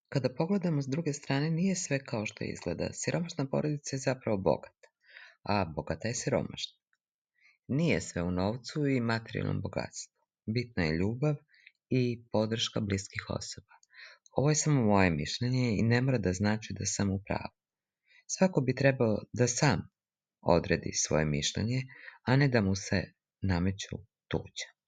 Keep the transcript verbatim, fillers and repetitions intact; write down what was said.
Kada pogledamo s druge strane, nije sve kao što izgleda. Siromašna porodica je zapravo bogata, a bogata je siromašna. Nije sve u novcu i materijalnom bogatstvu. Bitna je ljubav i podrška bliskih osoba. Ovo je samo moje mišljenje i ne mora da znači da sam u pravu. Svako bi trebao da sam odredi svoje mišljenje, a ne da mu se nameću tuđa.